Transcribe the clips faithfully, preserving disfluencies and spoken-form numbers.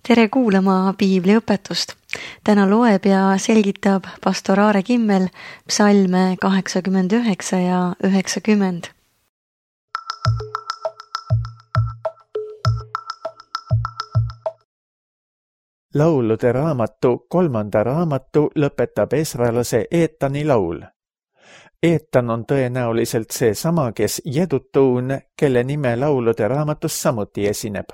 Tere kuulama piibliõpetust. Täna loeb ja selgitab pastor Aare Kimmel psalme kaheksakümmend üheksa ja üheksakümmend. Laulude raamatu kolmanda raamatu lõpetab esralase Eetani laul. Eetan on tõenäoliselt see sama, kes Jedutuun, kelle nime laulude raamatus samuti esineb.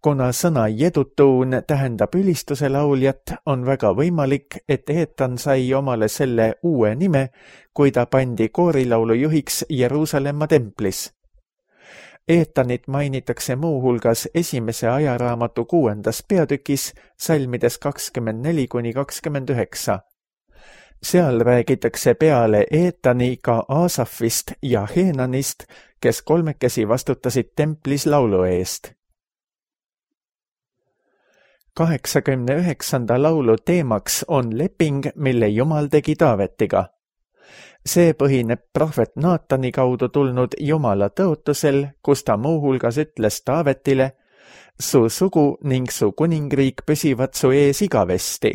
Kuna sõna Jedutuun tähendab ülistuse lauljat, on väga võimalik, et Eetan sai omale selle uue nime, kui ta pandi koorilaulu juhiks Jeruusalemma templis. Eetanit mainitakse muuhulgas esimese ajaraamatu kuuendas peatükis salmides kakskümmend neli kuni kakskümmend üheksa. Seal räägitakse peale Eetani ka Aasafist ja Heenanist, kes kolmekesi vastutasid templis laulu eest. kaheksakümne üheksanda laulu teemaks on leping, mille Jumal tegi Taavetiga. See põhineb prohvet Naatani kaudu tulnud Jumala tõotusel, kus ta muuhulgas ütles Taavetile: su sugu ning su kuningriik püsivad su ees igavesti.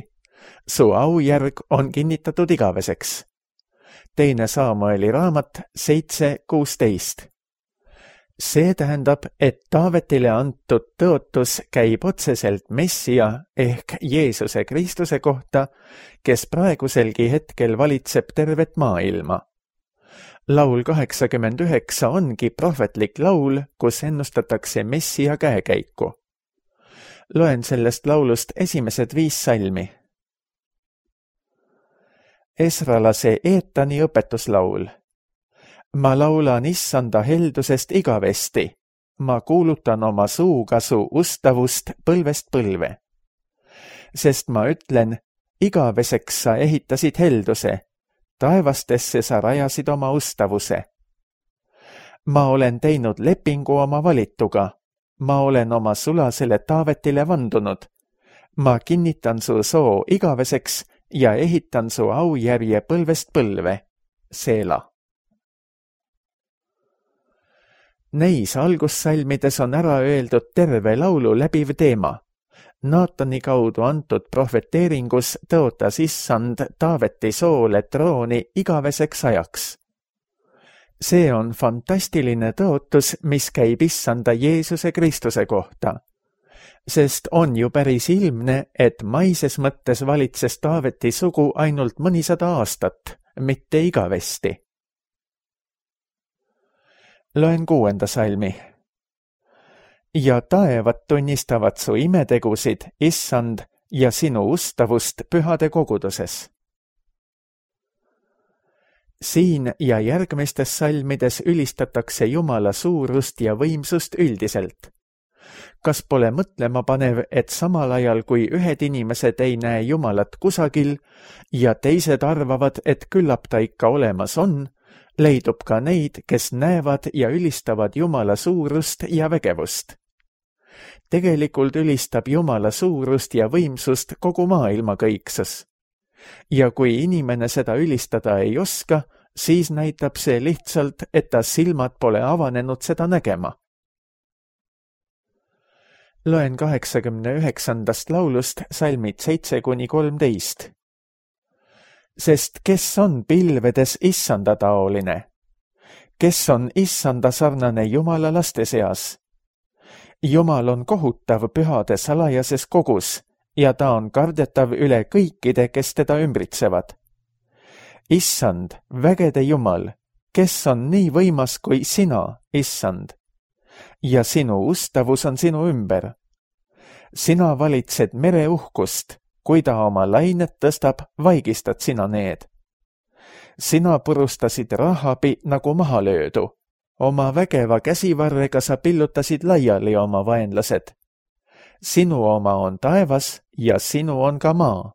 Su aujärg on kinnitatud igaveseks. Teine Saamueli raamat seitse kuusteist. See tähendab, et Taavetile antud tõotus käib otseselt Messia ehk Jeesuse Kristuse kohta, kes praeguselgi hetkel valitseb tervet maailma. Laul kaheksakümmend üheksa ongi prohvetlik laul, kus ennustatakse Messia käekäiku. Loen sellest laulust esimesed viis salmi. Esralase Eetani õpetuslaul. Ma laulan issanda heldusest igavesti. Ma kuulutan oma suuga su ustavust põlvest põlve. Sest ma ütlen, igaveseks sa ehitasid helduse, taevastesse sa rajasid oma ustavuse. Ma olen teinud lepingu oma valituga. Ma olen oma sulasele Taavetile vandunud. Ma kinnitan su soo igaveseks ja ehitan su aujärje põlvest põlve. Seela. Neis algussalmides on ära öeldud terve laulu läbiv teema. Naatani kaudu antud prohveteeringus tõotas issand Taaveti soole trooni igaveseks ajaks. See on fantastiline tõotus, mis käib issanda Jeesuse Kristuse kohta. Sest on ju päris ilmne, et maises mõttes valitses Taaveti sugu ainult mõnisada aastat, mitte igavesti. Loen kuuenda salmi. Ja taevad tunnistavad su imetegusid, issand, ja sinu ustavust pühade koguduses. Siin ja järgmistes salmides ülistatakse Jumala suurust ja võimsust üldiselt. Kas pole mõtlema panev, et samal ajal kui ühed inimesed ei näe Jumalat kusagil ja teised arvavad, et küllap ta ikka olemas on, leidub ka neid, kes näevad ja ülistavad Jumala suurust ja vägevust. Tegelikult ülistab Jumala suurust ja võimsust kogu maailma kõiksus. Ja kui inimene seda ülistada ei oska, siis näitab see lihtsalt, et ta silmad pole avanenud seda nägema. Loen kaheksakümne üheksandast laulust salmid seitse kuni kolmteist. Sest kes on pilvedes issanda taoline? Kes on issanda sarnane Jumala laste seas? Jumal on kohutav pühade salajases kogus ja ta on kardetav üle kõikide, kes teda ümbritsevad. Issand, vägede Jumal, kes on nii võimas kui sina, issand? Ja sinu ustavus on sinu ümber. Sina valitsed mere uhkust. Kui ta oma lainet tõstab, vaigistad sina need. Sina purustasid Rahabi nagu maha löödu. Oma vägeva käsivarrega sa pillutasid laiali oma vaenlased. Sinu oma on taevas ja sinu on ka maa.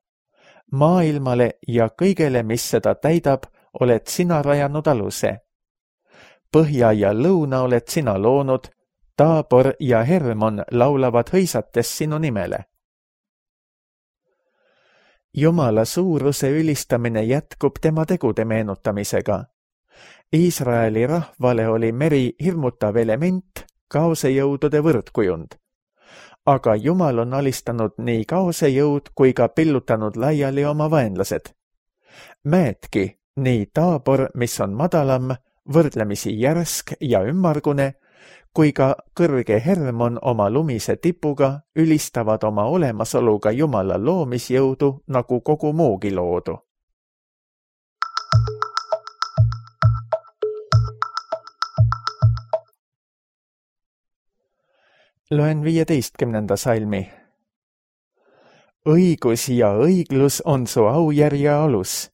Maailmale ja kõigele, mis seda täidab, oled sina rajanud aluse. Põhja ja lõuna oled sina loonud, Taabor ja Hermon laulavad hõisates sinu nimele. Jumala suuruse ülistamine jätkub tema tegude meenutamisega. Iisraeli rahvale oli meri hirmutav element, kaosejõudude võrdkujund. aga Jumal on alistanud nii kaose jõud kui ka pillutanud laiali oma vaenlased. Mäedki, nii Taabor, mis on madalam, võrdlemisi järsk ja ümmargune, kui ka kõrge Hermon oma lumise tipuga ülistavad oma olemasoluga Jumala loomisjõudu nagu kogu muugi loodu. Loen viieteistkümnenda salmi. Õigus ja õiglus on su aujärje alus.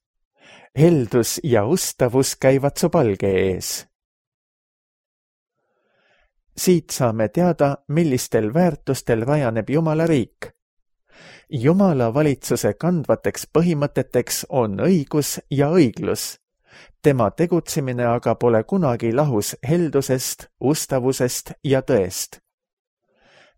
Heldus ja ustavus käivad su palge ees. Siit saame teada, millistel väärtustel rajaneb Jumala riik. Jumala valitsuse kandvateks põhimõteteks on õigus ja õiglus. Tema tegutsemine aga pole kunagi lahus heldusest, ustavusest ja tõest.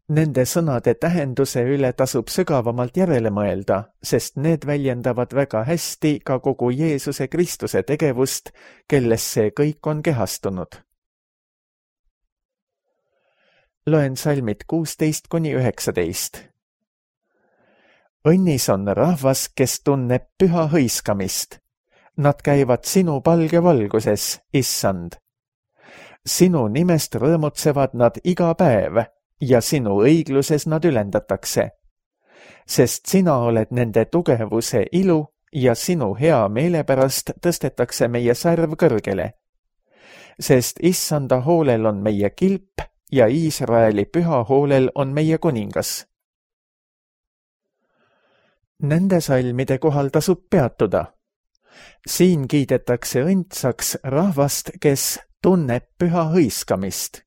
Nende sõnade tähenduse üle tasub sügavamalt järele mõelda, sest need väljendavad väga hästi ka kogu Jeesuse Kristuse tegevust, kelles see kõik on kehastunud. Loen salmid kuusteist kuni üheksateist. Õnnis on rahvas, kes tunneb püha hõiskamist. Nad käivad sinu palge valguses, issand. Sinu nimest rõõmutsevad nad iga päev ja sinu õigluses nad ülendatakse. Sest sina oled nende tugevuse ilu ja sinu hea meele pärast tõstetakse meie särv kõrgele. Sest issanda hoolel on meie kilp ja Iisraeli püha hoolel on meie kuningas. Nende salmide kohal tasub peatuda. Siin kiidetakse õndsaks rahvast, kes tunneb püha hõiskamist.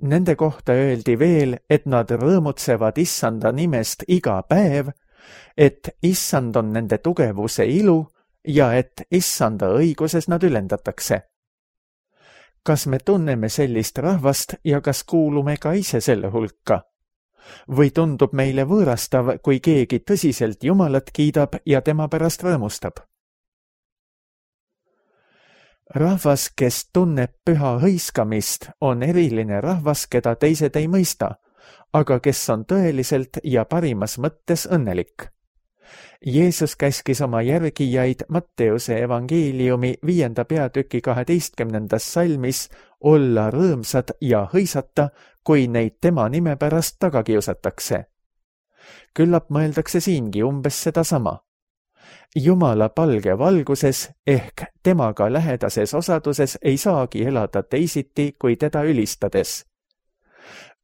Nende kohta öeldi veel, et nad rõõmutsevad issanda nimest iga päev, et issand on nende tugevuse ilu ja et issanda õiguses nad ülendatakse. Kas me tunneme sellist rahvast ja kas kuulume ka ise selle hulka? Või tundub meile võõrastav, kui keegi tõsiselt Jumalat kiidab ja tema pärast rõõmustab? Rahvas, kes tunneb püha hõiskamist, on eriline rahvas, keda teised ei mõista, aga kes on tõeliselt ja parimas mõttes õnnelik. Jeesus käskis oma järgijaid Matteuse evangeeliumi viienda peatüki kaheteistkümnendas salmis olla rõõmsad ja hõisata, kui neid tema nime pärast taga kiusatakse. Küllap mõeldakse siingi umbes sedasama. Jumala palge valguses ehk temaga lähedases osaduses ei saagi elada teisiti kui teda ülistades.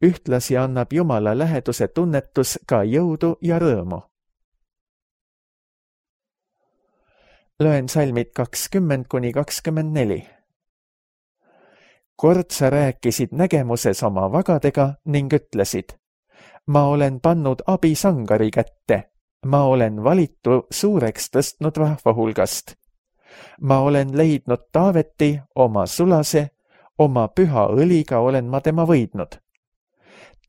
Ühtlasi annab Jumala läheduse tunnetus ka jõudu ja rõõmu. Loen salmid kakskümmend kuni kakskümmend neli. Kord sa rääkisid nägemuses oma vagadega ning ütlesid, ma olen pannud abi sangari kätte. Ma olen valitu suureks tõstnud rahva hulgast. Ma olen leidnud Taaveti, oma sulase, oma püha õliga olen ma tema võidnud.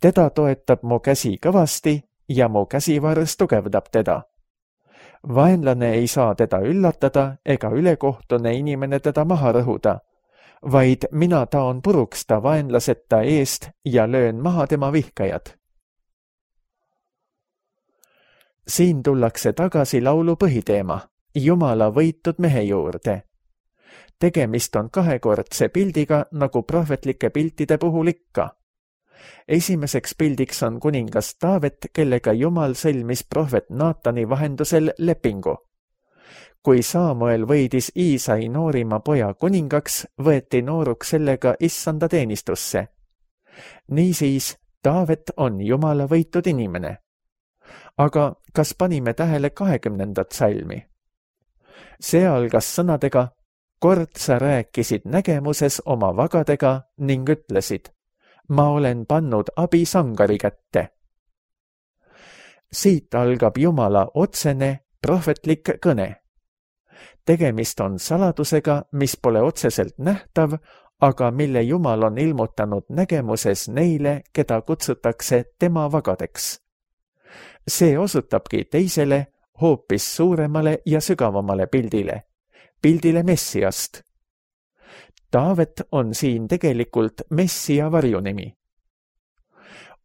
Teda toetab mu käsi kõvasti ja mu käsivarres tugevdab teda. Vaenlane ei saa teda üllatada ega ülekohtune inimene teda maha rõhuda, vaid mina taon puruks ta vaenlaseta eest ja löön maha tema vihkajad. Siin tullakse tagasi laulu põhiteema, Jumala võitud mehe juurde. Tegemist on kahekordse pildiga, nagu prohvetlike piltide puhul ikka. Esimeseks pildiks on kuningas Taavet, kellega Jumal sõlmis prohvet Naatani vahendusel lepingu. Kui Saamuel võidis Iisai noorima poja kuningaks, võeti nooruks sellega issanda teenistusse. Niisiis, Taavet on Jumala võitud inimene. Aga kas panime tähele kahekümnendat salmi? See algas sõnadega, kord sa rääkisid nägemuses oma vagadega ning ütlesid, ma olen pannud abi sangari kätte. Siit algab Jumala otsene, prohvetlik kõne. Tegemist on saladusega, mis pole otseselt nähtav, aga mille Jumal on ilmutanud nägemuses neile, keda kutsutakse tema vagadeks. See osutabki teisele, hoopis suuremale ja sügavamale pildile, pildile Messiast. Taavet on siin tegelikult Messia varjunimi.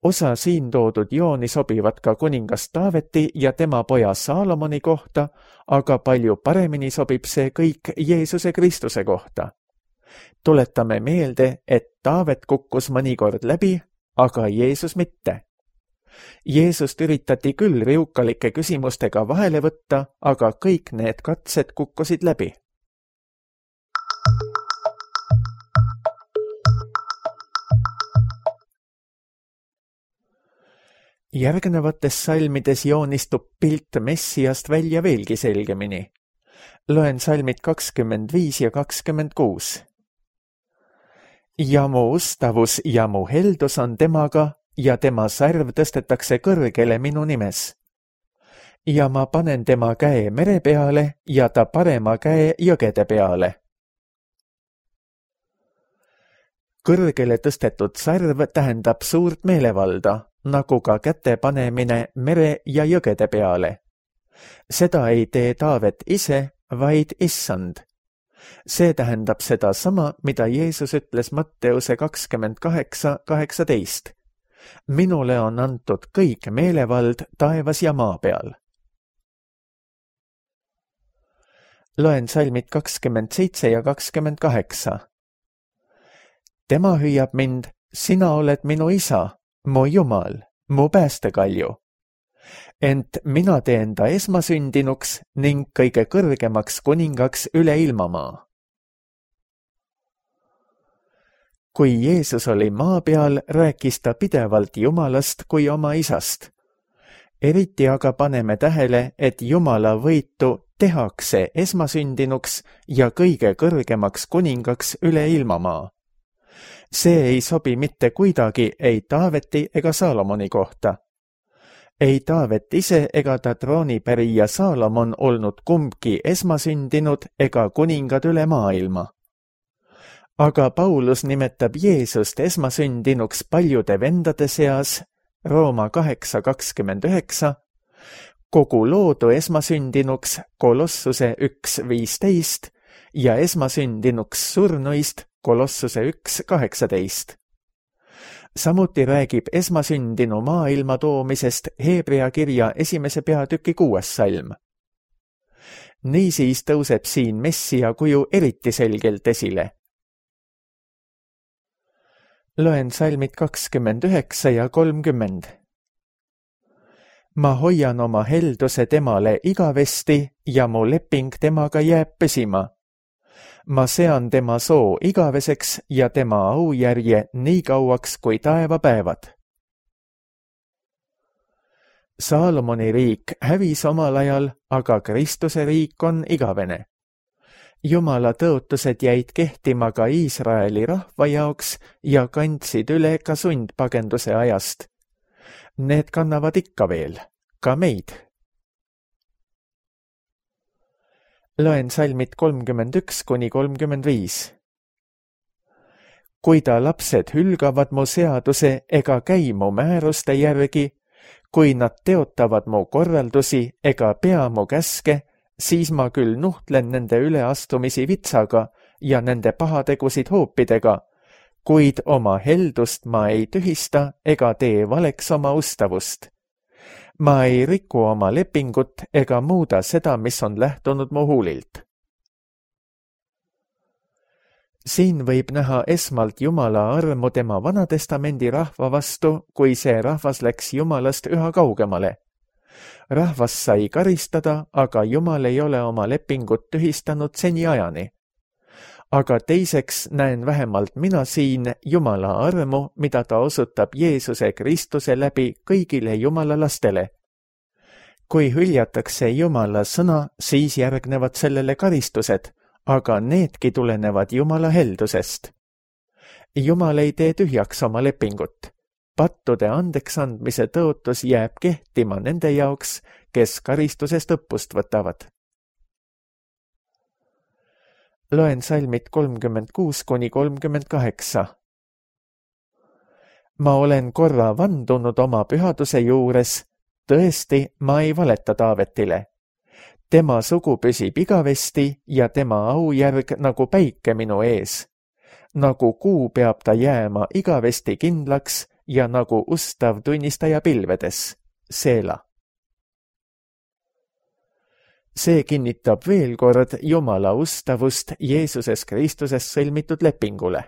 osa siin toodud jooni sobivad ka kuningas Taaveti ja tema poja Saalomoni kohta, aga palju paremini sobib see kõik Jeesuse Kristuse kohta. Tuletame meelde, et Taavet kukkus mõnikord läbi, aga Jeesus mitte. Jeesust üritati küll riukalike küsimustega vahele võtta, aga kõik need katsed kukkusid läbi. Järgnevates salmides joonistub pilt Messiast välja veelgi selgemini. Loen salmid kakskümmend viis ja kakskümmend kuus. Ja mu ustavus ja mu heldus on temaga, ja tema sarv tõstetakse kõrgele minu nimes. Ja ma panen tema käe mere peale ja ta parema käe jõgede peale. Kõrgele tõstetud sarv tähendab suurt meelevalda, nagu ka käte panemine mere ja jõgede peale. Seda ei tee Taavet ise, vaid Issand. See tähendab seda sama, mida Jeesus ütles Matteuse kakskümmend kaheksa kaheksateist. Minule on antud kõik meelevald taevas ja maa peal. Loen salmid kakskümmend seitse ja kakskümmend kaheksa. Tema hüüab mind, sina oled minu isa, mu Jumal, mu päästekalju. Ent mina teen ta esmasündinuks ning kõige kõrgemaks kuningaks üle ilmamaa. Kui Jeesus oli maa peal, rääkis ta pidevalt Jumalast kui oma isast. Eriti aga paneme tähele, et Jumala võitu tehakse esmasündinuks ja kõige kõrgemaks kuningaks üle ilmamaa. See ei sobi mitte kuidagi ei Taaveti ega Saalomoni kohta. Ei Taavet ise ega ta troonipärija Saalomon olnud kumbki esmasündinud ega kuningad üle maailma. Aga Paulus nimetab Jeesust esmasündinuks paljude vendade seas, Rooma kaheksa kakskümmend üheksa, kogu loodu esmasündinuks Kolossuse üks viisteist ja esmasündinuks surnuist Kolossuse üks kaheksateist. Samuti räägib esmasündinu maailma toomisest Heebrea kirja esimese peatüki kuues salm. Niisiis tõuseb siin Messia kuju eriti selgelt esile. Loen salmid kakskümmend üheksa ja kolmkümmend. Ma hoian oma helduse temale igavesti ja mu leping temaga jääb püsima. Ma sean tema soo igaveseks ja tema aujärje nii kauaks kui taevapäevad. Saalomoni riik hävis omal ajal, aga Kristuse riik on igavene. Jumala tõotused jäid kehtima ka Iisraeli rahva jaoks ja kandsid üle ka sundpagenduse ajast. Need kannavad ikka veel, ka meid. Loen salmid kolmkümmend üks kuni kolmkümmend viis. Kui ta lapsed hülgavad mu seaduse ega käi mu määruste järgi, kui nad teotavad mu korraldusi ega pea mu käske, siis ma küll nuhtlen nende üleastumisi vitsaga ja nende pahategusid hoopidega, kuid oma heldust ma ei tühista ega tee valeks oma ustavust. Ma ei riku oma lepingut ega muuda seda, mis on lähtunud mu huulilt. Siin võib näha esmalt Jumala armu tema Vanatestamendi rahva vastu, kui see rahvas läks Jumalast üha kaugemale. Rahvas sai karistada, aga Jumal ei ole oma lepingut tühistanud seniajani. Aga teiseks näen vähemalt mina siin Jumala armu, mida ta osutab Jeesuse Kristuse läbi kõigile Jumala lastele. Kui hüljatakse Jumala sõna, siis järgnevad sellele karistused, aga needki tulenevad Jumala heldusest. Jumal ei tee tühjaks oma lepingut. Pattude andeksandmise tõotus jääb kehtima nende jaoks, kes karistusest õppust võtavad. Loen salmid kolmkümmend kuus kuni kolmkümmend kaheksa. Ma olen korra vandunud oma pühaduse juures, tõesti, ma ei valeta Taavetile. Tema sugu püsib igavesti ja tema aujärg nagu päike minu ees. Nagu kuu peab ta jääma igavesti kindlaks ja nagu ustav tunnistaja pilvedes, Seela. See kinnitab veel kord Jumala ustavust Jeesuses Kristuses sõlmitud lepingule.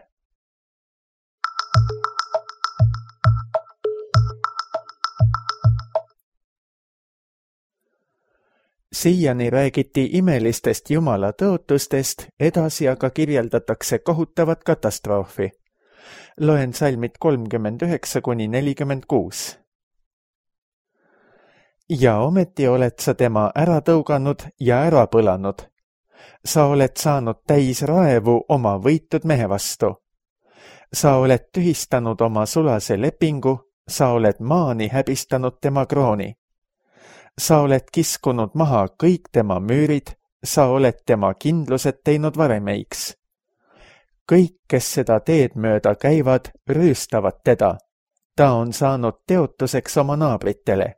Siiani räägiti imelistest Jumala tõotustest, edasi aga kirjeldatakse kohutavat katastroofi. Loen salmid kolmkümmend üheksa kuni nelikümmend kuus. Ja ometi oled sa tema ära tõuganud ja ära põlanud. Sa oled saanud täis raevu oma võitud mehe vastu. Sa oled tühistanud oma sulase lepingu, sa oled maani häbistanud tema krooni. Sa oled kiskunud maha kõik tema müürid, sa oled tema kindlused teinud varemeiks. Kõik, kes seda teed mööda käivad, rüüstavad teda. Ta on saanud teotuseks oma naabritele.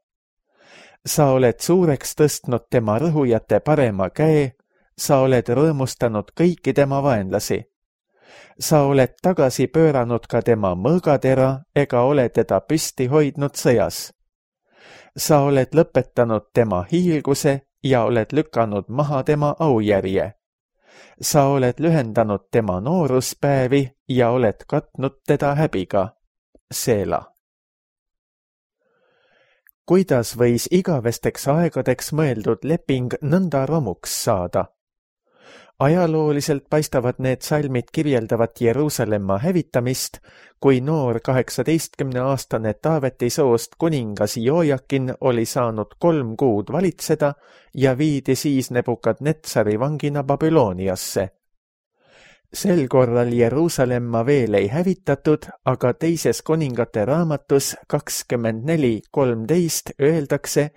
Sa oled suureks tõstnud tema rõhujate parema käe, sa oled rõõmustanud kõiki tema vaenlasi. Sa oled tagasi pööranud ka tema mõõgatera ega ole teda püsti hoidnud sõjas. Sa oled lõpetanud tema hiilguse ja oled lükanud maha tema aujärje. Sa oled lühendanud tema nooruspäevi ja oled katnud teda häbiga, Seela. Kuidas võis igavesteks aegadeks mõeldud leping nõnda romuks saada? Ajalooliselt paistavad need salmid kirjeldavat Jeruusalemma hävitamist, kui noor kaheksateistkümneaastane Taaveti soost kuningas Joojakin oli saanud kolm kuud valitseda ja viidi siis Nebukadnetsari vangina Babyloniasse. Sel korral Jeruusalemma veel ei hävitatud, aga teises kuningate raamatus kakskümmend neli kolmteist öeldakse,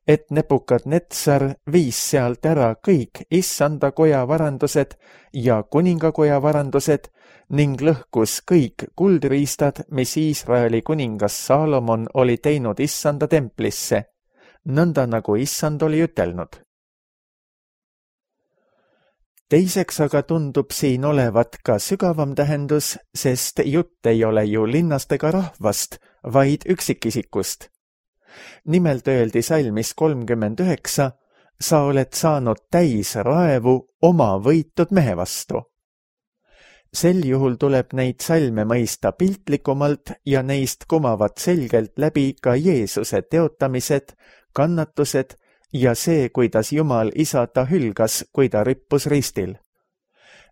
et Nebukadnetsar viis sealt ära kõik issanda koja varandused ja kuningakoja varandused ning lõhkus kõik kuldriistad, mis Iisraeli kuningas Saalomon oli teinud issanda templisse, nõnda nagu issand oli ütelnud. Teiseks aga tundub siin olevat ka sügavam tähendus, sest jutt ei ole ju linnast ega rahvast, vaid üksikisikust. Nimelt öeldi salmis kolmkümmend üheksa, sa oled saanud täis raevu oma võitud mehe vastu. Sel juhul tuleb neid salme mõista piltlikumalt ja neist kumavad selgelt läbi ka Jeesuse teotamised, kannatused ja see, kuidas Jumal isa ta hülgas, kui ta rippus ristil.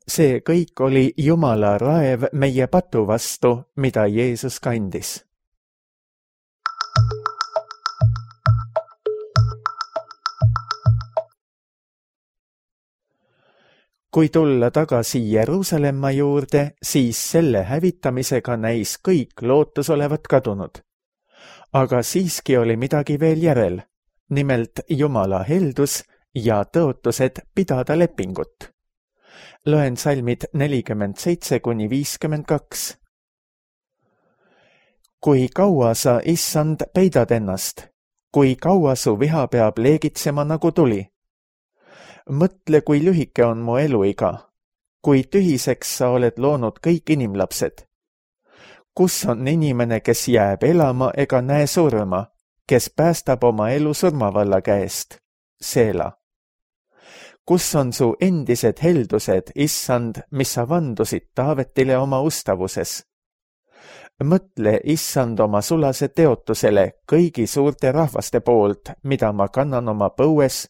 See kõik oli Jumala raev meie patu vastu, mida Jeesus kandis. Kui tulla tagasi Jeruusalemma juurde, siis selle hävitamisega näis kõik lootus olevat kadunud. Aga siiski oli midagi veel järel, nimelt Jumala heldus ja tõotused pidada lepingut. Loen salmid nelikümmend seitse kuni viiskümmend kaks. Kui kaua sa, issand, peidad ennast, kui kaua su viha peab leegitsema nagu tuli? Mõtle, kui lühike on mu eluiga, kui tühiseks sa oled loonud kõik inimlapsed. Kus on inimene, kes jääb elama ega näe surma, kes päästab oma elu surmavalla käest, Seela? Kus on su endised heldused, issand, mis sa vandusid Taavetile oma ustavuses? Mõtle, issand, oma sulase teotusele kõigi suurte rahvaste poolt, mida ma kannan oma põues,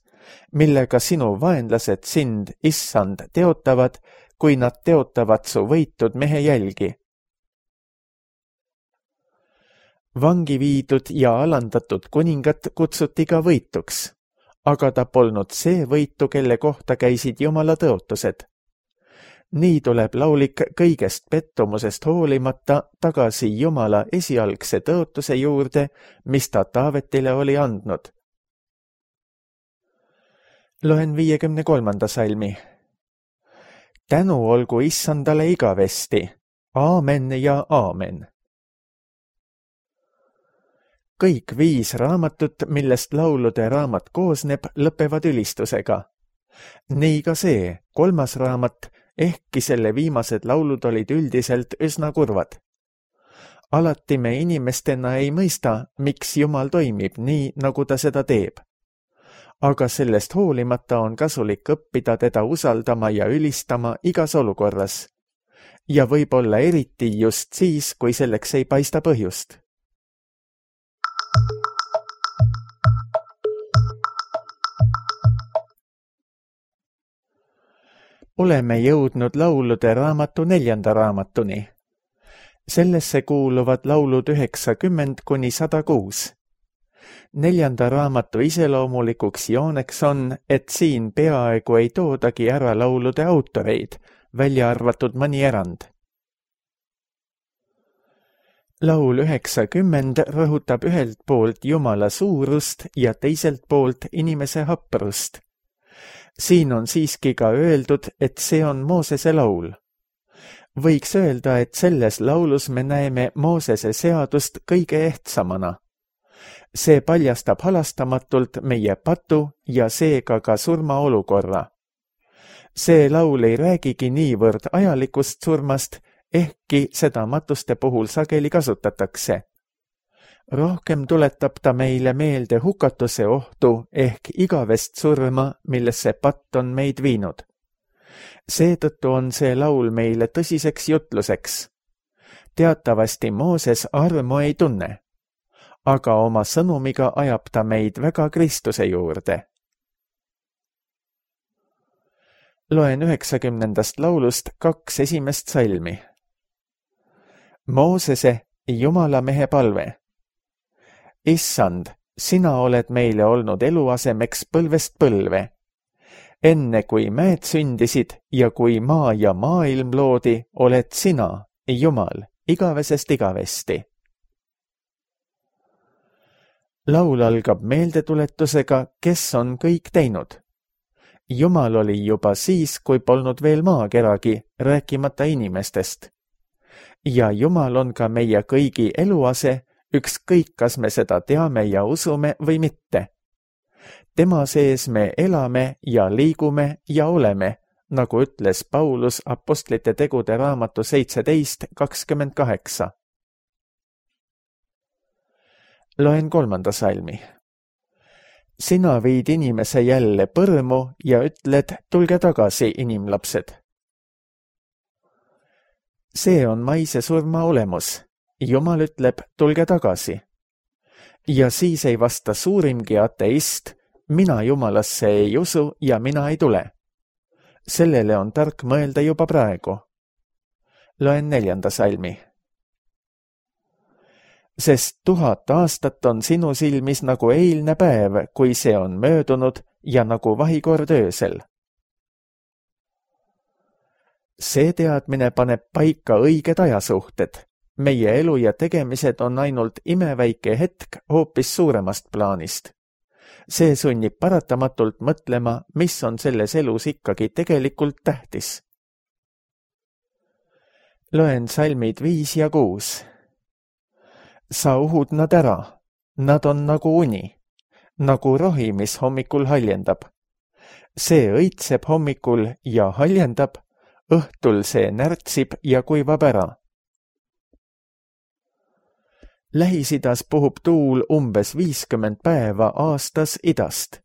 millega sinu vaenlased sind, issand, teotavad, kui nad teotavad su võitud mehe jälgi. Vangi viidud ja alandatud kuningat kutsuti ka võituks, aga ta polnud see võitu, kelle kohta käisid Jumala tõotused. Nii tuleb laulik kõigest pettumusest hoolimata tagasi Jumala esialgse tõotuse juurde, mis ta Taavetile oli andnud. Loen viiekümne kolmanda salmi. Tänu olgu issandale igavesti. Aamen ja aamen. Kõik viis raamatut, millest laulude raamat koosneb, lõpevad ülistusega. Nii ka see, kolmas raamat, ehkki selle viimased laulud olid üldiselt üsna kurvad. alati me inimestena ei mõista, miks Jumal toimib nii, nagu ta seda teeb. Aga sellest hoolimata on kasulik õppida teda usaldama ja ülistama igas olukorras. Ja võib-olla eriti just siis, kui selleks ei paista põhjust. Oleme jõudnud laulude raamatu neljanda raamatuni. Sellesse kuuluvad laulud üheksakümmend kuni sada kuus. Neljanda raamatu iseloomulikuks jooneks on, et siin peaaegu ei toodagi ära laulude autoreid, välja arvatud mõni erand. Laul üheksakümmend rõhutab ühelt poolt Jumala suurust ja teiselt poolt inimese haprust. Siin on siiski ka öeldud, et see on Moosese laul. Võiks öelda, et selles laulus me näeme Moosese seadust kõige ehtsamana. See paljastab halastamatult meie patu ja seega ka surmaolukorra. See laul ei räägigi niivõrd ajalikust surmast, ehkki seda matuste puhul sageli kasutatakse. Rohkem tuletab ta meile meelde hukatuse ohtu ehk igavest surma, millesse patt on meid viinud. Seetõttu on see laul meile tõsiseks jutluseks. Teatavasti Mooses armu ei tunne, aga oma sõnumiga ajab ta meid väga Kristuse juurde. Loen üheksakümnendast laulust kaks esimest salmi. Moosese, Jumala mehe palve. Issand, sina oled meile olnud eluasemeks põlvest põlve. Enne kui mäed sündisid ja kui maa ja maailm loodi, oled sina, Jumal, igavesest igavesti. Laul algab meeldetuletusega, kes on kõik teinud. Jumal oli juba siis, kui polnud veel maakeragi, rääkimata inimestest. Ja Jumal on ka meie kõigi eluase, ükskõik kas me seda teame ja usume või mitte. Tema sees me elame ja liigume ja oleme, nagu ütles Paulus Apostlite tegude raamatu seitseteist kakskümmend kaheksa. Loen kolmanda salmi. Sina viid inimese jälle põrmu ja ütled, tulge tagasi, inimlapsed. See on maise surma olemus. Jumal ütleb, tulge tagasi. Ja siis ei vasta suurimgi ateist, mina Jumalasse ei usu ja mina ei tule. Sellele on tark mõelda juba praegu. Loen neljanda salmi. Sest tuhat aastat on sinu silmis nagu eilne päev, kui see on möödunud ja nagu vahikord öösel. See teadmine paneb paika õiged ajasuhted. Meie elu ja tegemised on ainult imeväike hetk hoopis suuremast plaanist. See sunnib paratamatult mõtlema, mis on selles elus ikkagi tegelikult tähtis. Loen salmid viis ja kuus. Sa uhud nad ära. Nad on nagu uni. Nagu rohi, mis hommikul haljendab. See õitseb hommikul ja haljendab. Õhtul see närtsib ja kuivab ära. Lähis-idas puhub tuul umbes viiskümmend päeva aastas idast.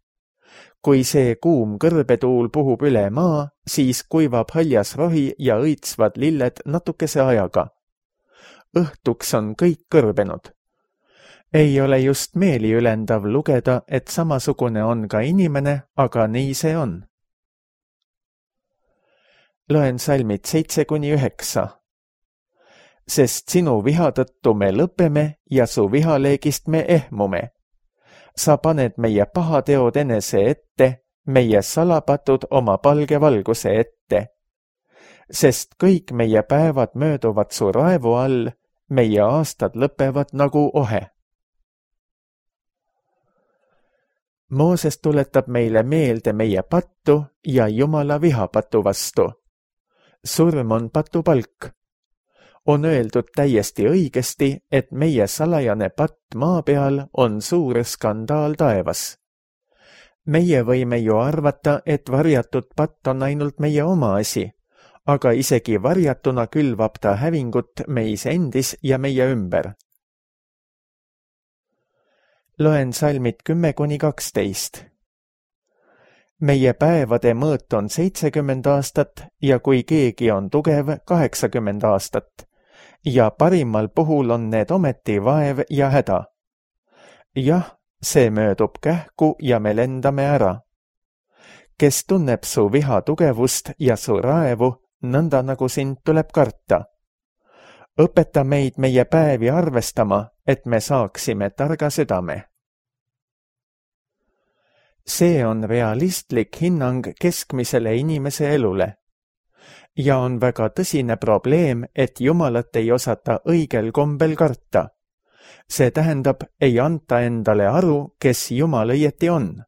Kui see kuum kõrbetuul puhub üle maa, siis kuivab haljas rohi ja õitsvad lilled natukese ajaga. Õhtuks on kõik kõrbenud. Ei ole just meeliülendav lugeda, et samasugune on ka inimene, aga nii see on. Loen salmid seitse kuni üheksa. Sest sinu viha tõttu me lõpeme ja su vihaleegist me ehmume. Sa paned meie pahateod enese ette, meie salapatud oma palge valguse ette. Sest kõik meie päevad mööduvad su raevu all, meie aastad lõpevad nagu ohe. Mooses tuletab meile meelde meie pattu ja Jumala vihapatu vastu. Surm on patu palk. On öeldud täiesti õigesti, et meie salajane patt maa peal on suur skandaal taevas. Meie võime ju arvata, et varjatud patt on ainult meie oma asi, aga isegi varjatuna külvab ta hävingut meis endis ja meie ümber. Loen salmid kümme kuni kaksteist. Meie päevade mõõt on seitsekümmend aastat ja kui keegi on tugev, kaheksakümmend aastat ja parimal puhul on need ometi vaev ja häda. Jah, see möödub kähku ja me lendame ära. Kes tunneb su viha tugevust ja su raevu, nõnda nagu sind tuleb karta. Õpeta meid meie päevi arvestama, et me saaksime targa südame. See on realistlik hinnang keskmisele inimese elule. Ja on väga tõsine probleem, et Jumalat ei osata õigel kombel karta. See tähendab, ei anta endale aru, kes Jumal õieti on.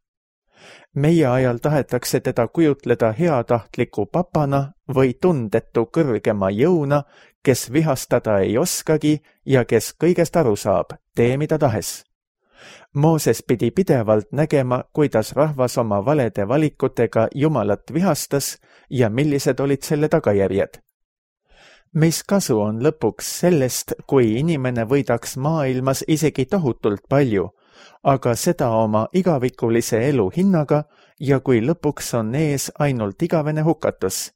Meie ajal tahetakse teda kujutleda heatahtliku papana või tundetu kõrgema jõuna, kes vihastada ei oskagi ja kes kõigest aru saab, tee mida tahes. Mooses pidi pidevalt nägema, kuidas rahvas oma valede valikutega Jumalat vihastas ja millised olid selle tagajärjed. Mis kasu on lõpuks sellest, kui inimene võidaks maailmas isegi tohutult palju, aga seda oma igavikulise elu hinnaga ja kui lõpuks on ees ainult igavene hukatus.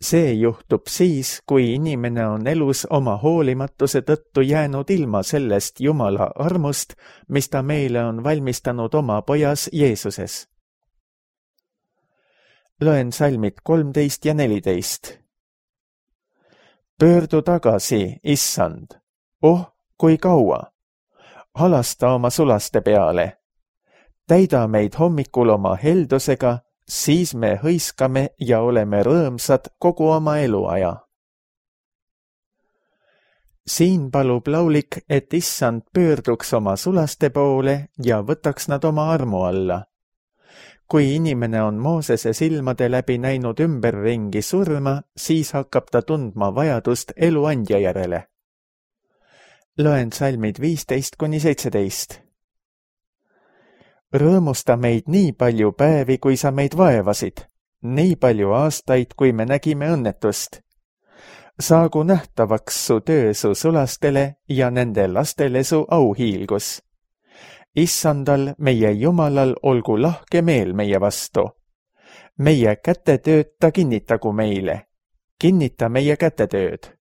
See juhtub siis, kui inimene on elus oma hoolimatuse tõttu jäänud ilma sellest Jumala armust, mis ta meile on valmistanud oma pojas Jeesuses. Loen salmid kolmteist ja neliteist. Pöördu tagasi, issand, oh, kui kaua! Halasta oma sulaste peale. Täida meid hommikul oma heldusega, siis me hõiskame ja oleme rõõmsad kogu oma eluaja. Siin palub laulik, et issand pöörduks oma sulaste poole ja võtaks nad oma armu alla. Kui inimene on Moosese silmade läbi näinud ümberringi surma, siis hakkab ta tundma vajadust eluandja järele. Loen salmid viisteist kuni seitseteist. Rõõmusta meid nii palju päevi, kui sa meid vaevasid, nii palju aastaid, kui me nägime õnnetust. Saagu nähtavaks su töö su sulastele ja nende lastele su auhiilgus. Issandal, meie Jumalal, olgu lahke meel meie vastu. Meie kätetööd ta kinnitagu meile. Kinnita meie kätetööd.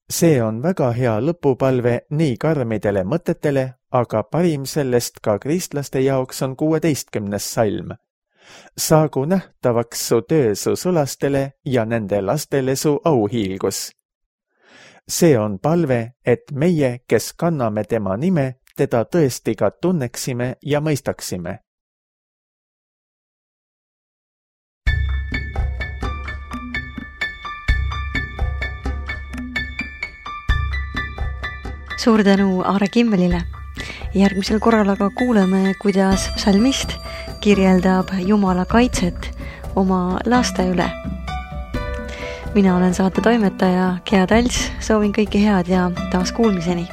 See on väga hea lõpupalve nii karmidele mõtetele, aga parim sellest ka kristlaste jaoks on kuueteistkümnes salm. Saagu nähtavaks su töö su sulastele ja nende lastele su auhiilgus. See on palve, et meie, kes kanname tema nime, teda tõesti ka tunneksime ja mõistaksime. Suur tänu Aare Kimmelile. Järgmisel korral aga kuuleme, kuidas psalmist kirjeldab Jumala kaitset oma laste üle. Mina olen saate toimetaja Gea Talts, soovin kõike head ja taas kuulmiseni.